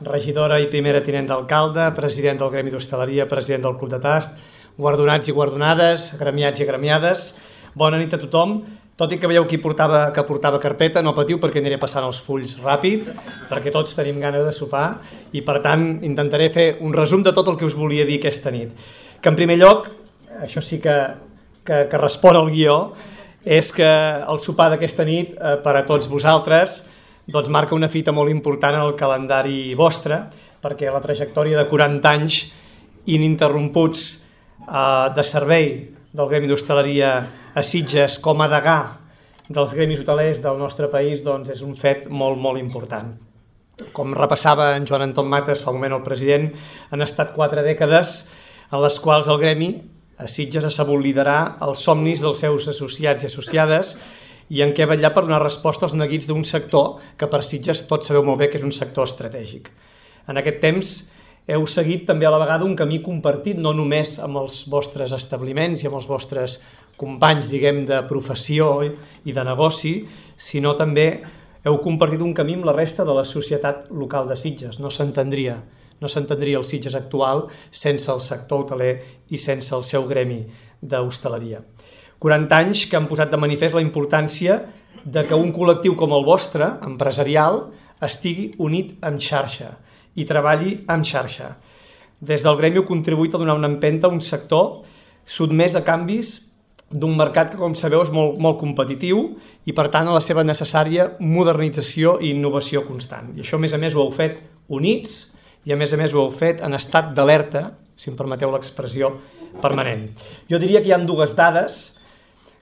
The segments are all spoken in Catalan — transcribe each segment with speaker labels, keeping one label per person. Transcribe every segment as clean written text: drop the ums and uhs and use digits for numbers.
Speaker 1: regidora i primera tinent d'alcalde, president del Gremi d'Hostaleria, president del Club de Tast, guardonats i guardonades, gremiats i gremiades. Bona nit a tothom. Tot i que veieu que portava carpeta, no patiu perquè aniré passant els fulls ràpid, perquè tots tenim ganes de sopar i per tant intentaré fer un resum de tot el que us volia dir aquesta nit. Que en primer lloc, això sí que respon al guió, és que el sopar d'aquesta nit per a tots vosaltres doncs marca una fita molt important en el calendari vostre, perquè la trajectòria de 40 anys ininterromputs de servei del Gremi d'Hostaleria a Sitges com a degà dels gremis hotelers del nostre país doncs és un fet molt, molt important. Com repassava en Joan Anton Mates fa un moment el president, han estat 4 dècades en les quals el Gremi a Sitges ha sabut liderar els somnis dels seus associats i associades i en què ha vetllat per donar resposta als neguits d'un sector que per Sitges tots sabeu molt bé que és un sector estratègic. En aquest temps heu seguit també a la vegada un camí compartit, no només amb els vostres establiments i amb els vostres companys, diguem, de professió i de negoci, sinó també heu compartit un camí amb la resta de la societat local de Sitges. No s'entendria el Sitges actual sense el sector hoteler i sense el seu gremi d'hostaleria. 40 anys que han posat de manifest la importància de que un col·lectiu com el vostre, empresarial, estigui unit en xarxa i treballi en xarxa. Des del Gremi heu contribuït a donar una empenta a un sector sotmès a canvis d'un mercat que, com sabeu, és molt competitiu i, per tant, a la seva necessària modernització i innovació constant. I això, a més, ho heu fet units i, a més, ho heu fet en estat d'alerta, si em permeteu l'expressió, permanent. Jo diria que hi ha 2 dades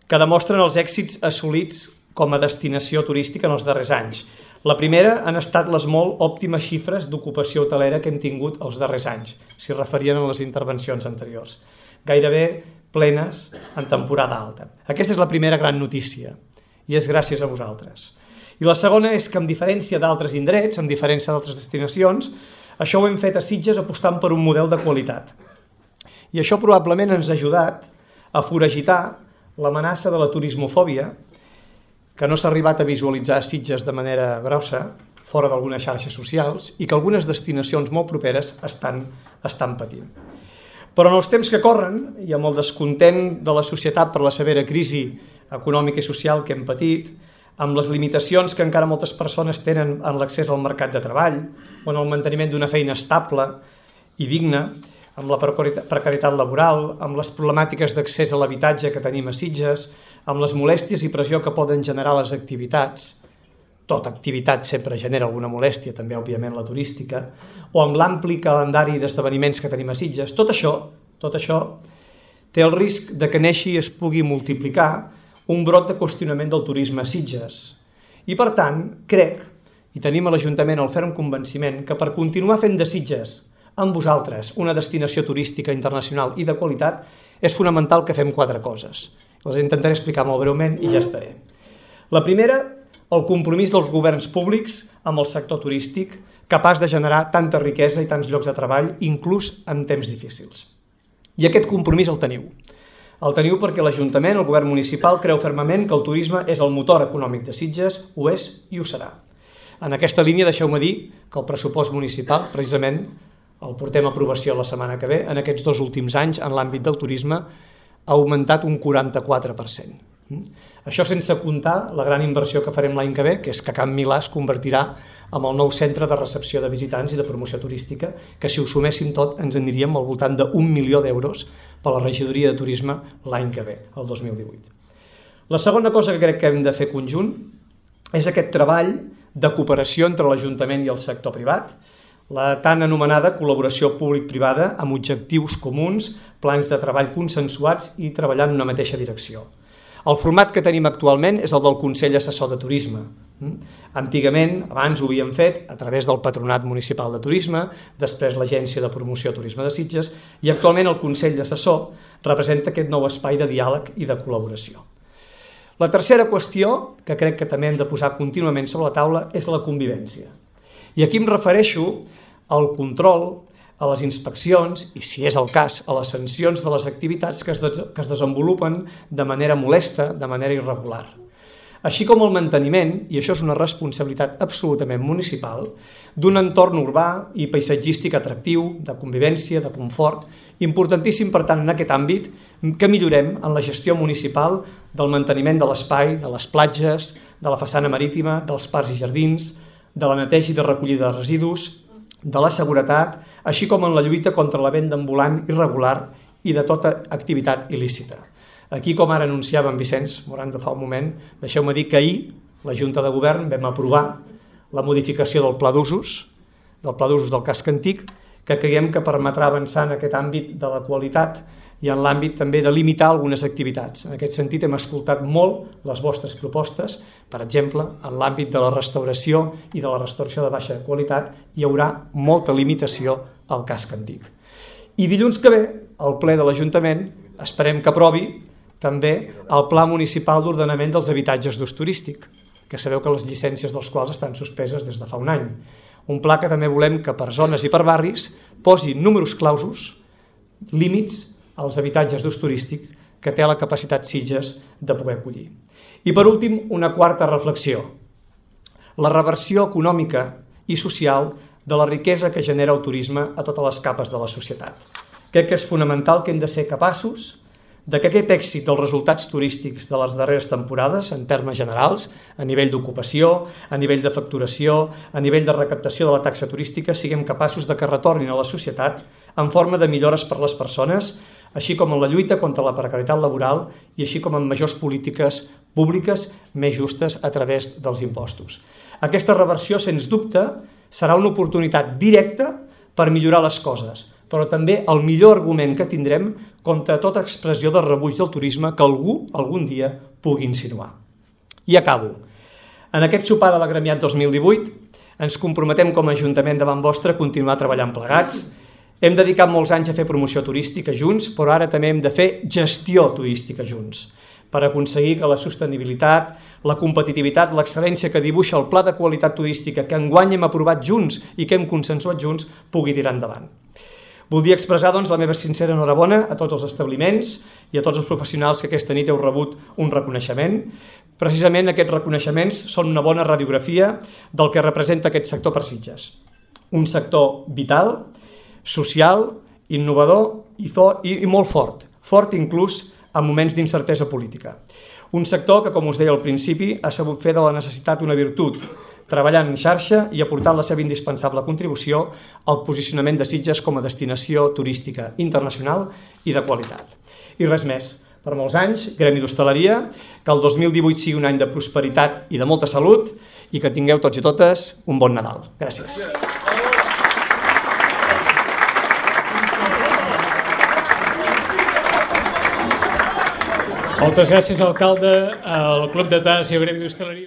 Speaker 1: que demostren els èxits assolits com a destinació turística en els darrers anys. La primera han estat les molt òptimes xifres d'ocupació hotelera que hem tingut els darrers anys, s'hi referien a les intervencions anteriors. Gairebé plenes en temporada alta. Aquesta és la primera gran notícia i és gràcies a vosaltres. I la segona és que, amb diferència d'altres indrets, amb diferència d'altres destinacions, això ho hem fet a Sitges apostant per un model de qualitat. I això probablement ens ha ajudat a foragitar l'amenaça de la turismofòbia que no s'ha arribat a visualitzar a Sitges de manera grossa, fora d'algunes xarxes socials, i que algunes destinacions molt properes estan patint. Però en els temps que corren, i amb el descontent de la societat per la severa crisi econòmica i social que hem patit, amb les limitacions que encara moltes persones tenen en l'accés al mercat de treball, o en el manteniment d'una feina estable i digna, amb la precarietat laboral, amb les problemàtiques d'accés a l'habitatge que tenim a Sitges, amb les molèsties i pressió que poden generar les activitats, tota activitat sempre genera alguna molèstia, també òbviament la turística, o amb l'ampli calendari d'esdeveniments que tenim a Sitges, tot això té el risc de que neixi i es pugui multiplicar un brot de qüestionament del turisme a Sitges. I per tant, crec, i tenim a l'Ajuntament el ferm convenciment, que per continuar fent de Sitges amb vosaltres una destinació turística internacional i de qualitat és fonamental que fem 4 coses. Les intentaré explicar molt breument i ja estaré. La primera, el compromís dels governs públics amb el sector turístic, capaç de generar tanta riquesa i tants llocs de treball, inclús en temps difícils. I aquest compromís el teniu. El teniu perquè l'Ajuntament, el govern municipal, creu fermament que el turisme és el motor econòmic de Sitges, ho és i ho serà. En aquesta línia, deixeu-me dir que el pressupost municipal, precisament, el portem a aprovació la setmana que ve, en aquests 2 últims anys, en l'àmbit del turisme, ha augmentat un 44%. Això sense comptar la gran inversió que farem l'any que ve, que és que Can Milà es convertirà en el nou centre de recepció de visitants i de promoció turística, que si ho suméssim tot ens aniríem al voltant d'1 milió d'euros per la regidoria de turisme l'any que ve, el 2018. La segona cosa que crec que hem de fer conjunt és aquest treball de cooperació entre l'Ajuntament i el sector privat, la tan anomenada col·laboració públic-privada amb objectius comuns, plans de treball consensuats i treballant en una mateixa direcció. El format que tenim actualment és el del Consell Assessor de Turisme. Antigament, abans ho havíem fet a través del Patronat Municipal de Turisme, després l'Agència de Promoció Turisme de Sitges, i actualment el Consell Assessor representa aquest nou espai de diàleg i de col·laboració. La tercera qüestió, que crec que també hem de posar contínuament sobre la taula, és la convivència. I aquí em refereixo al control, a les inspeccions i, si és el cas, a les sancions de les activitats que es desenvolupen de manera molesta, de manera irregular. així com el manteniment, i això és una responsabilitat absolutament municipal, d'un entorn urbà i paisatgístic atractiu, de convivència, de confort, importantíssim, per tant, en aquest àmbit, que millorem en la gestió municipal del manteniment de l'espai, de les platges, de la façana marítima, dels parcs i jardins, de la neteja i de recollida de residus, de la seguretat, així com en la lluita contra la venda ambulant irregular i de tota activitat il·lícita. Aquí, com ara anunciava en Vicenç Morando fa un moment, deixeu-me dir que ahir la Junta de Govern vam aprovar la modificació del pla d'usos del casc antic, que creiem que permetrà avançar en aquest àmbit de la qualitat i en l'àmbit també de limitar algunes activitats. En aquest sentit hem escoltat molt les vostres propostes, per exemple, en l'àmbit de la restauració i de la restauració de baixa qualitat hi haurà molta limitació al casc antic. I dilluns que ve, el ple de l'Ajuntament, esperem que aprovi també el Pla Municipal d'Ordenament dels Habitatges d'Ús Turístic, que sabeu que les llicències dels quals estan suspeses des de fa un any. Un pla que també volem que per zones i per barris posi números clausos, límits als habitatges d'ús turístic que té la capacitat Sitges de poder acollir. I per últim, una quarta reflexió. La reversió econòmica i social de la riquesa que genera el turisme a totes les capes de la societat. Crec que és fonamental que hem de ser capaços de que aquest èxit dels resultats turístics de les darreres temporades, en termes generals, a nivell d'ocupació, a nivell de facturació, a nivell de recaptació de la taxa turística, siguem capaços de que retornin a la societat en forma de millores per a les persones, així com en la lluita contra la precarietat laboral i així com en majors polítiques públiques més justes a través dels impostos. Aquesta reversió, sens dubte, serà una oportunitat directa per millorar les coses, però també el millor argument que tindrem contra tota expressió de rebuig del turisme que algú algun dia pugui insinuar. I acabo. En aquest sopar de l'Agremiat 2018 ens comprometem com a Ajuntament davant vostre a continuar treballant plegats. Hem dedicat molts anys a fer promoció turística junts, però ara també hem de fer gestió turística junts, per aconseguir que la sostenibilitat, la competitivitat, l'excel·lència que dibuixa el pla de qualitat turística que enguany hem aprovat junts i que hem consensuat junts pugui tirar endavant. Voldria expressar doncs, la meva sincera enhorabona a tots els establiments i a tots els professionals que aquesta nit heu rebut un reconeixement. Precisament aquests reconeixements són una bona radiografia del que representa aquest sector per Sitges. Un sector vital, social, innovador i molt fort inclús en moments d'incertesa política. Un sector que, com us deia al principi, ha sabut fer de la necessitat una virtut, treballant en xarxa i aportant la seva indispensable contribució al posicionament de Sitges com a destinació turística internacional i de qualitat. I res més. Per molts anys, Gremi d'Hostaleria, que el 2018 sigui un any de prosperitat i de molta salut i que tingueu tots i totes un bon Nadal. Gràcies.
Speaker 2: Moltes gràcies, alcalde, al Club de Tas i al Gremi d'Hostaleria.